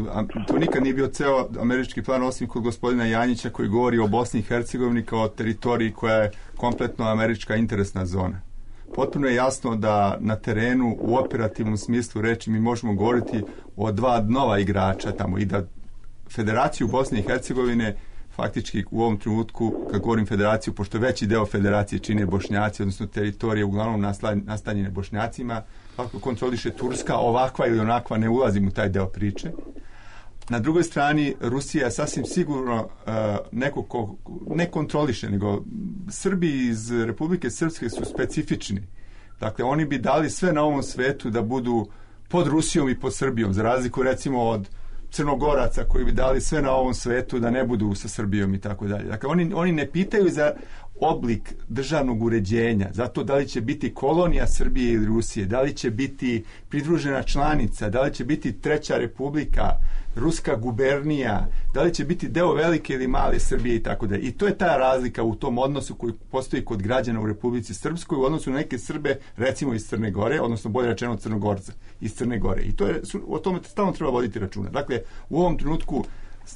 to nikad nije bio ceo američki plan, osim kod gospodina Janjića, koji govori o Bosni i Hercegovini kao teritoriji koja je kompletno američka interesna zona. Potpuno je jasno da na terenu u operativnom smislu reči mi možemo govoriti o dva nova igrača tamo, i da Federaciju Bosne i Hercegovine faktički u ovom trenutku, kad govorim federaciju, pošto veći deo federacije čine Bošnjaci, odnosno teritorije uglavnom nastanjene Bošnjacima, kako kontroliše Turska, ovakva ili onakva, ne ulazim u taj deo priče. Na drugoj strani, Rusija je sasvim sigurno neko ko ne kontroliše, nego Srbi iz Republike Srpske su specifični. Dakle, oni bi dali sve na ovom svetu da budu pod Rusijom i pod Srbijom, za razliku recimo od Crnogoraca koji bi dali sve na ovom svetu da ne budu sa Srbijom i tako dalje. Dakle, oni ne pitaju za oblik državnog uređenja, zato da li će biti kolonija Srbije ili Rusije, da li će biti pridružena članica, da li će biti treća republika, ruska gubernija, da li će biti deo velike ili male Srbije i tako dalje. I to je ta razlika u tom odnosu koji postoji kod građana u Republici Srpskoj u odnosu na neke Srbe, recimo iz Crne Gore, odnosno bolje rečeno Crnogorca iz Crne Gore. I to je, o tome stalno treba voditi računa. Dakle, u ovom trenutku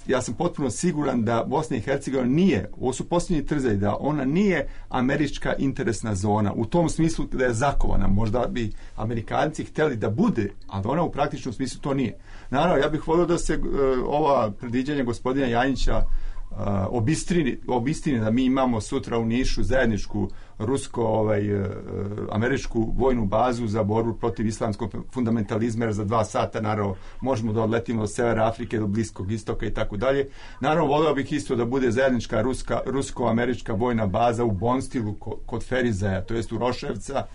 ja sam potpuno siguran da Bosna i Hercegovina nije, ovo su posljednji trzaj, da ona nije američka interesna zona, u tom smislu da je zakovana. Možda bi Amerikanci htjeli da bude, ali ona u praktičnom smislu to nije. Naravno, ja bih volio da se ova predviđanja gospodina Janjića obistini da mi imamo sutra u Nišu zajedničku rusko-američku vojnu bazu za borbu protiv islamskog fundamentalizma, jer za 2 sata naravno možemo da odletimo do severa Afrike, do Bliskog istoka i tako dalje. Naravno, volio bih isto da bude zajednička rusko-američka vojna baza u Bonstilu kod Ferizaja, to jest u Roševca,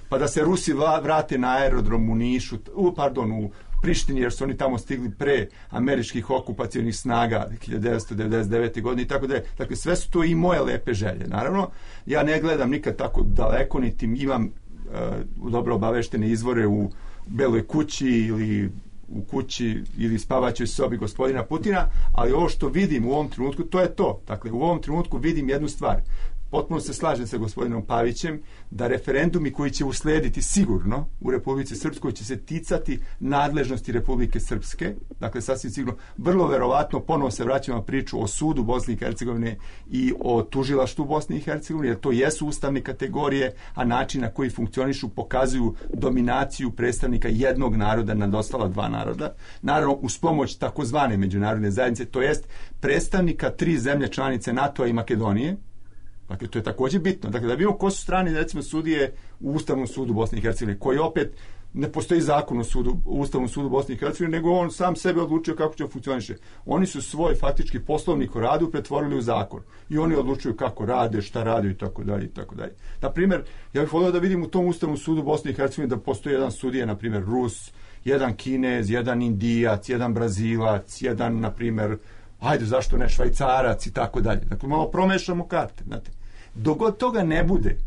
pa da se Rusi vrate na aerodrom u Nišu, u Prištini, jer su oni tamo stigli pre američkih okupacionih snaga 1999. godine i tako dalje. Dakle, sve su to i moje lepe želje. Naravno, ja ne gledam nikad tako daleko, niti imam dobro obaveštene izvore u Beloj kući ili u kući ili spavaćoj sobi gospodina Putina, ali ovo što vidim u ovom trenutku, to je to. Dakle, u ovom trenutku vidim jednu stvar. Potpuno se slažem sa gospodinom Pavićem da referendumi koji će uslediti sigurno u Republici Srpskoj će se ticati nadležnosti Republike Srpske. Dakle, sasvim sigurno, vrlo verovatno ponovo se vraćamo na priču o sudu Bosne i Hercegovine i o tužilaštvu Bosne i Hercegovine, jer to jesu ustavne kategorije, a način na koji funkcionišu pokazuju dominaciju predstavnika jednog naroda nad ostala 2 naroda. Naravno, uz pomoć takozvane međunarodne zajednice, to jest predstavnika 3 zemlje članice NATO-a i Makedonije. Dakle, to je također bitno. Dakle, da vidimo ko su strani, recimo, sudije u Ustavnom sudu Bosne i Hercegovine, koji opet ne postoji zakon u Ustavnom sudu Bosne i Hercegovine, nego on sam sebe odlučio kako će funkcioniše. Oni su svoj faktički poslovnik o radu pretvorili u zakon. I oni odlučuju kako rade, šta rade i tako dalje i tako dalje. Na primjer, ja bih volio da vidim u tom Ustavnom sudu Bosne i Hercegovine da postoji jedan sudija, na primjer, Rus, jedan Kinez, jedan Indijac, jedan Brazilac, jedan, na primjer, zašto ne, Švajcarac i tako dalje. Dakle, malo promešamo karte, znate. Dok god toga ne bude,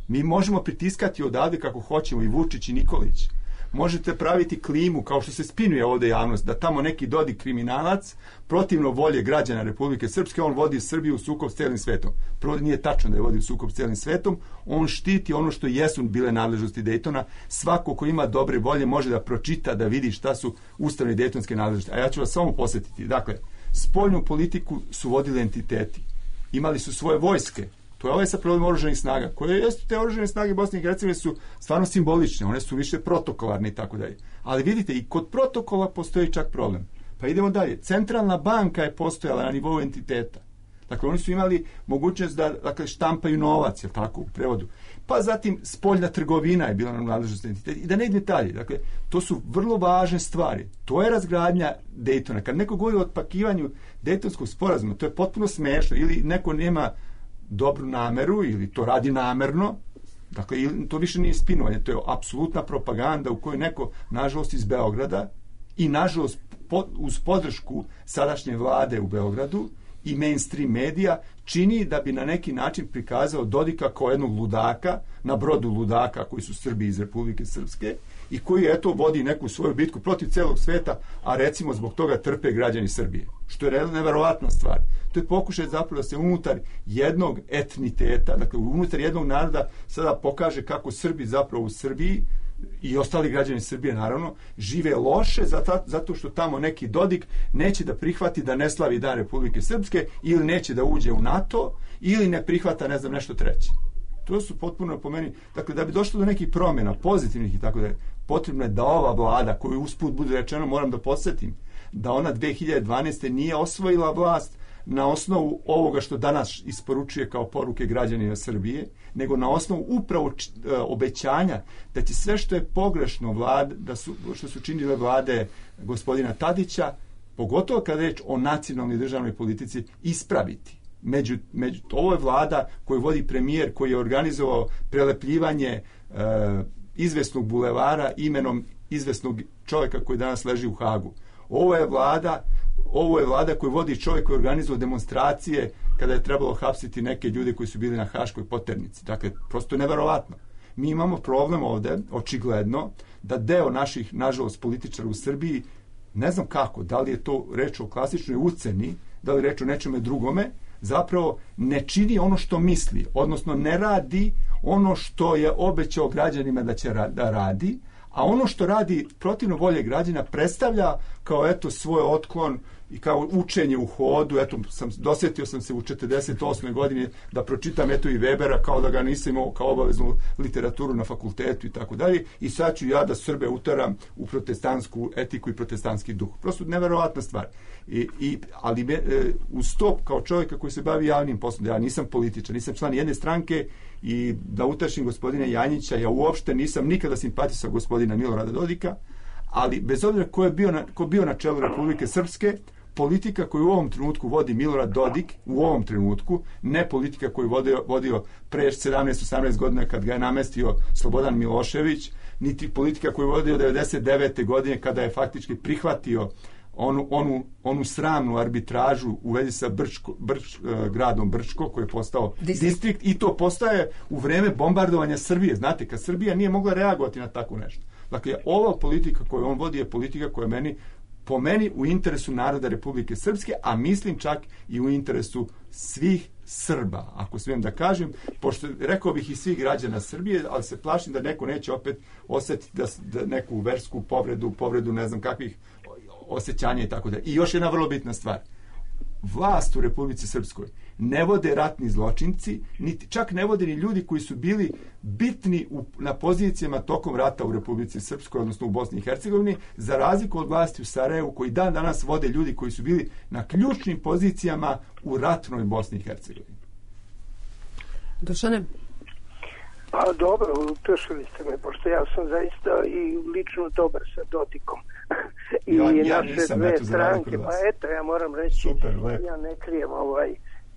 mi možemo pritiskati odavde kako hoćemo, i Vučić i Nikolić, možete praviti klimu, kao što se spinuje ovdje javnost, da tamo neki Dodik kriminalac, protivno volje građana Republike Srpske, on vodi Srbiju u sukob s cijelim svetom. Prvo, nije tačno da je vodi u sukob s cijelim svetom, on štiti ono što jesu bile nadležnosti Dejtona. Svako ko ima dobre volje može da pročita, da vidi šta su ustavne dejtonske nadležnosti. A ja ću vas samo posjetiti. Dakle, spoljnu politiku su vodili entiteti. Imali su svoje vojske. To je ovaj sa problem oružanih snaga. Koje jesu te oružane snage Bosne i Hercegovine su stvarno simbolične. One su više protokolarne i tako dalje. Ali vidite, i kod protokola postoji čak problem. Pa idemo dalje. Centralna banka je postojala na nivou entiteta. Dakle, oni su imali mogućnost da, dakle, štampaju novac, je tako, u prevodu. Pa zatim spoljna trgovina je bila na nadležnosti entiteta. I da ne ide dalje. Dakle, to su vrlo važne stvari. To je razgradnja Dejtona. Kad neko govori o otpakivanju Dejtonskog sporazuma, to je potpuno smešno. Ili neko nema dobru nameru, ili to radi namerno. Dakle, to više nije spinovanje. To je apsolutna propaganda u kojoj neko, nažalost, iz Beograda i, nažalost, uz podršku sadašnje vlade u Beogradu i mainstream medija, čini da bi na neki način prikazao Dodika kao jednog ludaka, na brodu ludaka koji su Srbi iz Republike Srpske i koji, eto, vodi neku svoju bitku protiv celog sveta, a recimo zbog toga trpe građani Srbije. Što je neverovatna stvar. To je pokušaj zapravo da se unutar jednog etniteta, dakle unutar jednog naroda, sada pokaže kako Srbi zapravo u Srbiji i ostali građani Srbije, naravno, žive loše zato što tamo neki Dodik neće da prihvati da ne slavi Dan Republike Srpske, ili neće da uđe u NATO, ili ne prihvata, ne znam, nešto treće. To su potpuno, po meni, dakle, da bi došlo do nekih promjena, pozitivnih i tako da je, potrebno je da ova vlada, koju usput bude rečeno, moram da podsjetim, da ona 2012. nije osvojila vlast na osnovu ovoga što danas isporučuje kao poruke građanima Srbije, nego na osnovu upravo obećanja da će sve što je pogrešno što su činile vlade gospodina Tadića, pogotovo kada je reč o nacionalnoj državnoj politici, ispraviti. Ovo je vlada koju vodi premijer, koji je organizovao prelepljivanje izvesnog bulevara imenom izvesnog čovjeka koji danas leži u Hagu. Ovo je vlada koju vodi čovjek koji je organizovao demonstracije kada je trebalo hapsiti neke ljude koji su bili na Haškoj poternici. Dakle, prosto je neverovatno. Mi imamo problem ovdje, očigledno, da deo naših, nažalost, političara u Srbiji, ne znam kako, da li je to reč o klasičnoj uceni, da li je reč o nečeme drugome, zapravo ne čini ono što misli, odnosno ne radi ono što je obećao građanima da će da radi, a ono što radi protivno volje građana predstavlja kao, eto, svoj otklon i kao učenje u hodu. Eto, dosjetio sam se u 48. godini da pročitam, eto, i Webera, kao da ga nisam imao kao obaveznu literaturu na fakultetu i tako dalje, i sad ću ja da Srbe uteram u protestantsku etiku i protestantski duh. Prosto neverovatna stvar. Ali uz to, kao čovjeka koji se bavi javnim poslom, ja nisam političar, nisam član jedne stranke, i da utašim gospodina Janjića, ja uopšte nisam nikada simpatisao gospodina Milorada Dodika, ali bez obzira ko bio na čelu Republike Srpske, politika koju u ovom trenutku vodi Milorad Dodik, u ovom trenutku, ne politika koju vodio pre 17-18 godina kad ga je namestio Slobodan Milošević, niti politika koju vodio 99. godine kada je faktički prihvatio onu sramnu arbitražu u vezi sa gradom Brčko, koji je postao distrikt, i to postaje u vreme bombardovanja Srbije. Znate, kad Srbija nije mogla reagovati na tako nešto. Dakle, ova politika koju on vodi je politika koja je po meni u interesu naroda Republike Srpske, a mislim čak i u interesu svih Srba, ako smijem da kažem, pošto rekao bih i svih građana Srbije, ali se plašim da neko neće opet osjetiti da neku versku povredu ne znam kakvih osjećanja i tako da. I još jedna vrlo bitna stvar. Vlast u Republici Srpskoj ne vode ratni zločinci, čak ne vode ni ljudi koji su bili bitni na pozicijama tokom rata u Republici Srpskoj, odnosno u Bosni i Hercegovini, za razliku od vlasti u Sarajevu, koji dan danas vode ljudi koji su bili na ključnim pozicijama u ratnoj Bosni i Hercegovini. Dušane? Pa dobro, utešili ste me, pošto ja sam zaista i lično dobar sa Dodikom. I ja naše nisam, dve eto, stranke, pa eto, ja moram reći, super, ja ne krijem,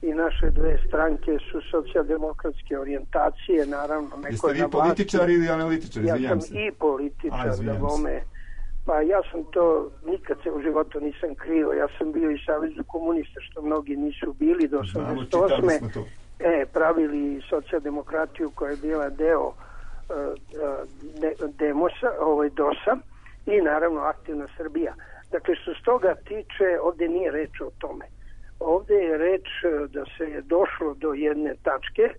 i naše dve stranke su socijaldemokratske orijentacije, naravno. Jeste vi političar ili analitičar? Ja sam i političar, da vome. Pa ja sam to, nikad se u životu nisam krio, ja sam bio i Savezu komunista, što mnogi nisu bili do 88. Pravili socijaldemokratiju koja je bila deo DOS-a i naravno Aktivna Srbija. Dakle, što s toga tiče, ovdje nije reč o tome. Ovdje je reč da se je došlo do jedne tačke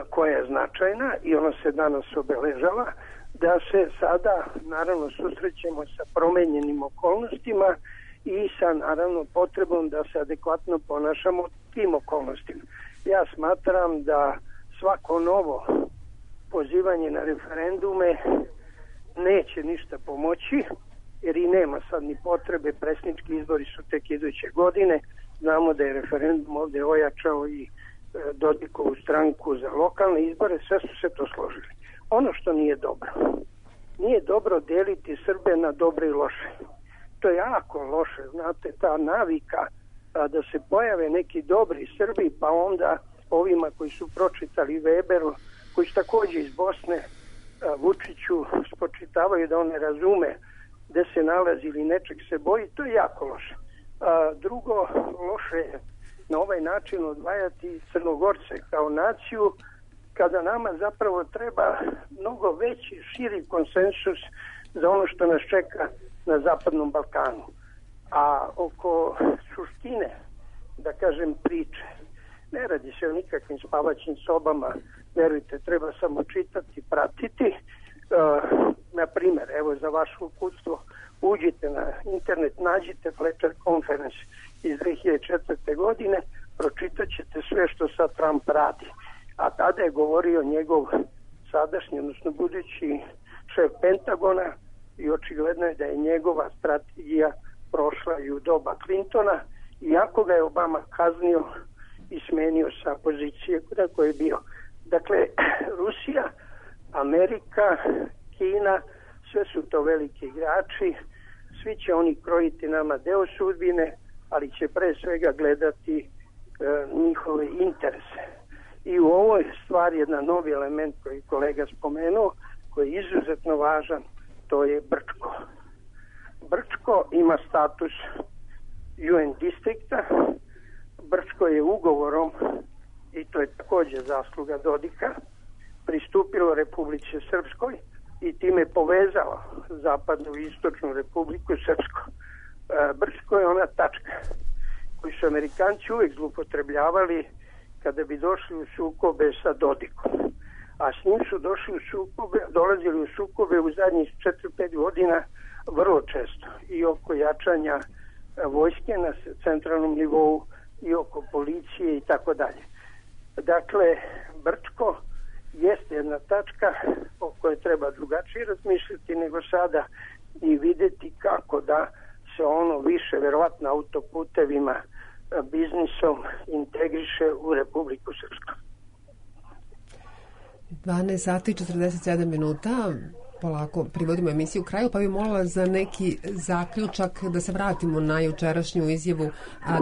koja je značajna i ona se danas obeležava, da se sada naravno susrećemo sa promenjenim okolnostima i sa naravno potrebom da se adekvatno ponašamo tim okolnostima. Ja smatram da svako novo pozivanje na referendume neće ništa pomoći, jer i nema sad ni potrebe, predsjednički izbori su tek iduće godine, znamo da je referendum ovdje ojačao i Dodikovu stranku za lokalne izbore, sve su se to složili. Ono što nije dobro deliti Srbe na dobre i loše. To je jako loše, znate, ta navika da se pojave neki dobri Srbi, pa onda ovima koji su pročitali Weberu, koji su također iz Bosne, Vučiću spočitavaju da on ne razume gde se nalazi ili nečeg se boji, to je jako loše. Drugo, loše je na ovaj način odvajati Crnogorce kao naciju, kada nama zapravo treba mnogo veći, širi konsensus za ono što nas čeka na Zapadnom Balkanu. A oko suštine, da kažem, priče, ne radi se o nikakvim spavaćim sobama, verujte, treba samo čitati, pratiti. Na primjer, evo za vaše uputstvo, uđite na internet, nađite Fletcher Conference iz 2004. godine, pročitat ćete sve što sad Trump radi. A tada je govorio njegov sadašnji, odnosno budući šef Pentagona, i očigledno je da je njegova strategija prošla i u doba Clintona, iako ga je Obama kaznio i smenio sa pozicije na kojoj je bio. Dakle, Rusija, Amerika, Kina, sve su to veliki igrači, svi će oni krojiti nama deo sudbine, ali će pre svega gledati njihove interese. I u ovoj stvari jedan novi element koji kolega spomenuo, koji je izuzetno važan, to je Brčko. Brčko ima status UN distrikta. Brčko je ugovorom, i to je također zasluga Dodika, pristupilo Republici Srpskoj i time povezalo zapadnu i istočnu Republiku Srpsku. Brčko je ona tačka koju su Amerikanci uvijek zloupotrebljavali kada bi došli u sukobe sa Dodikom. A s njim su dolazili u sukobe u zadnjih 4-5 godina vrlo često. I oko jačanja vojske na centralnom nivou, i oko policije i tako dalje. Dakle, Brčko jeste jedna tačka o kojoj treba drugačije razmišljati nego sada i vidjeti kako da se ono više, verovatno autoputevima, biznisom integriše u Republiku Srpsku. 12 sati i 47 minuta, polako privodimo emisiju kraju, pa bi molila za neki zaključak da se vratimo na jučerašnju izjavu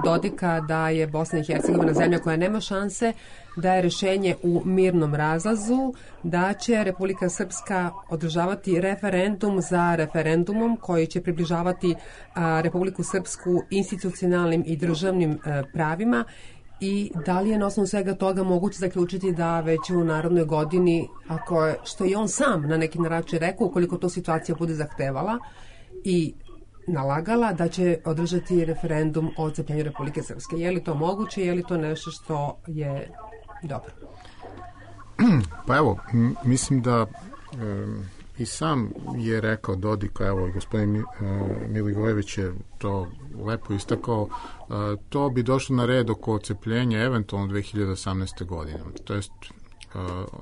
Dodika da je Bosna i Hercegovina zemlja koja nema šanse, da je rešenje u mirnom razlazu, da će Republika Srpska održavati referendum za referendumom koji će približavati Republiku Srpsku institucionalnim i državnim pravima. I da li je na osnovu svega toga moguće zaključiti da već u narodnoj godini, ako je, što je on sam na neki način rekao, ukoliko to situacija bude zahtevala i nalagala, da će održati referendum o odcepljenju Republike Srpske. Je li to moguće, je li to nešto što je dobro? Pa evo, mislim da i sam je rekao Dodik, evo i gospodin Milivojević je to lepo istakao, to bi došlo na red oko odcepljenja eventualno 2018. godine, to jest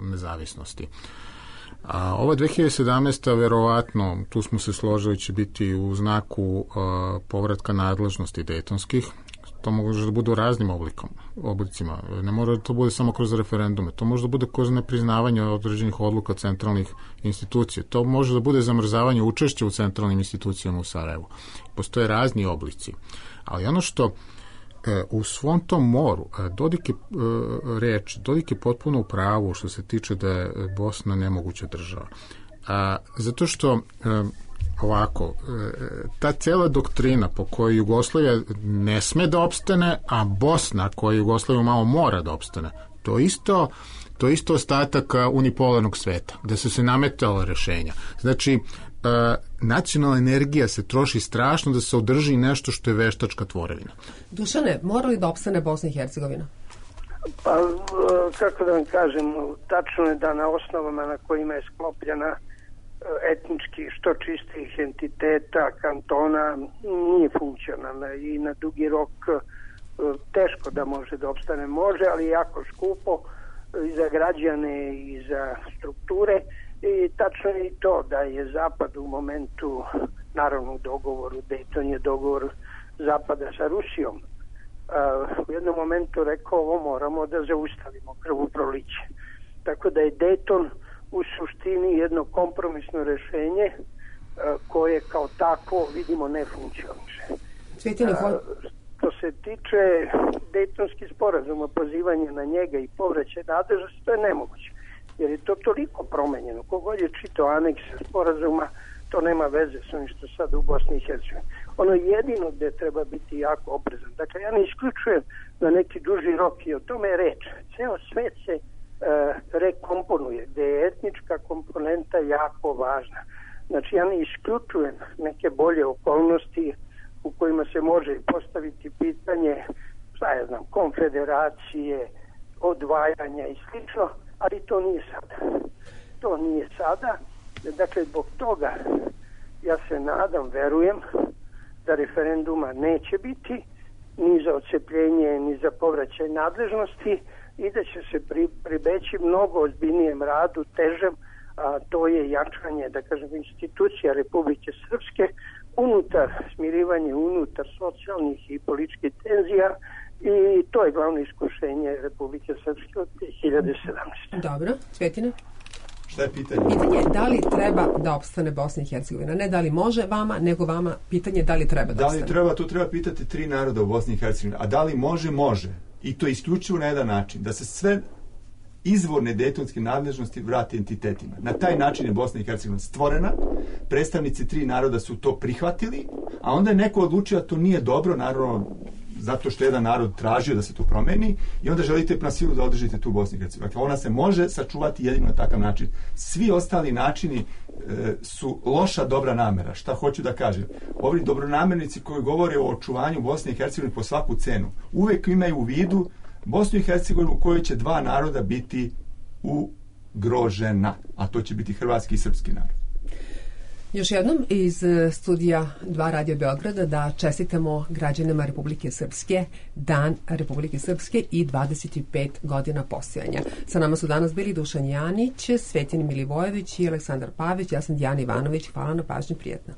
nezavisnosti. A ova 2017. verovatno, tu smo se složili, će biti u znaku povratka nadležnosti dejtonskih. To može da bude u raznim oblicima. Ne mora da to bude samo kroz referendume. To može da bude kroz nepriznavanje određenih odluka centralnih institucija. To može da bude zamrzavanje učešća u centralnim institucijama u Sarajevu. Postoje razni oblici. Ali ono što u svom tom moru Dodik je potpuno u pravu što se tiče da je Bosna nemoguća država. Zato što ovako, ta cela doktrina po kojoj Jugoslavija ne sme da opstane, a Bosna koja Jugoslaviju malo mora da opstane, To je isto ostatak unipolarnog sveta, gde su se nametala rešenja. Znači, nacionalna energija se troši strašno da se održi nešto što je veštačka tvorevina. Dušane, mora li da opstane Bosna i Hercegovina? Pa, kako da vam kažem, tačno je da na osnovama na kojima je sklopljena etnički što čistih entiteta, kantona, nije funkcionalna i na dugi rok teško da može da opstane. Može, ali jako skupo i za građane i za strukture. I tačno je i to da je Zapad u momentu, naravno u dogovoru, Dayton je dogovor Zapada sa Rusijom, u jednom momentu rekao ovo moramo da zaustavimo krvoproliće. Tako da je Dayton u suštini jedno kompromisno rešenje koje kao tako vidimo ne funkcioniše. Što se tiče Daytonskih sporazuma, pozivanje na njega i povraćaj nadležnosti, to je nemoguće. Jer je to toliko promenjeno. Kogod je čitao anekse sporazuma, to nema veze s onim što sad u Bosni i Hercegovini. Ono jedino gde treba biti jako oprezan. Dakle, ja ne isključujem na neki duži rok i o tome je reč. Ceo svet se rekomponuje, gde je etnička komponenta jako važna. Znači, ja ne isključujem neke bolje okolnosti u kojima se može postaviti pitanje, šta ja znam, konfederacije, odvajanja i slično, ali to nije sada. To nije sada. Dakle, zbog toga ja se nadam, verujem da referenduma neće biti ni za odcepljenje, ni za povraćaj nadležnosti i da će se pribeći mnogo ozbiljnijem radu, težem, a to je jačanje, da kažem, institucija Republike Srpske unutar smirivanje, unutar socijalnih i političkih tenzija i to je glavno iskušenje Republike Srpske od 2017. Dobro, Cvetine? Šta je pitanje? Pitanje je da li treba da opstane Bosna i Hercegovina. Ne da li može vama, nego vama pitanje da li treba da opstane. Da li treba, to treba pitati 3 naroda u Bosni i Hercegovini. A da li može, može. I to isključivo na jedan način. Da se sve izvorne dejtonske nadležnosti vrate entitetima. Na taj način je Bosna i Hercegovina stvorena. Predstavnici 3 naroda su to prihvatili, a onda je neko odlučio da to nije dobro, naravno zato što jedan narod tražio da se to promeni i onda želite na silu da održite tu Bosnu i Hercegovinu. Dakle, ona se može sačuvati jedino na takav način. Svi ostali načini su loša dobra namera. Šta hoću da kažem? Ovi dobronamernici koji govore o očuvanju Bosne i Hercegovine po svaku cenu, uvek imaju u vidu Bosnu i Hercegovinu u kojoj će 2 naroda biti ugrožena, a to će biti hrvatski i srpski narod. Još jednom iz studija 2 Radio Beograda da čestitamo građanima Republike Srpske Dan Republike Srpske i 25 godina postojanja. Sa nama su danas bili Dušan Janić, Svetin Milivojević i Aleksandar Pavić. Ja sam Dijana Ivanović. Hvala na pažnji, prijetno.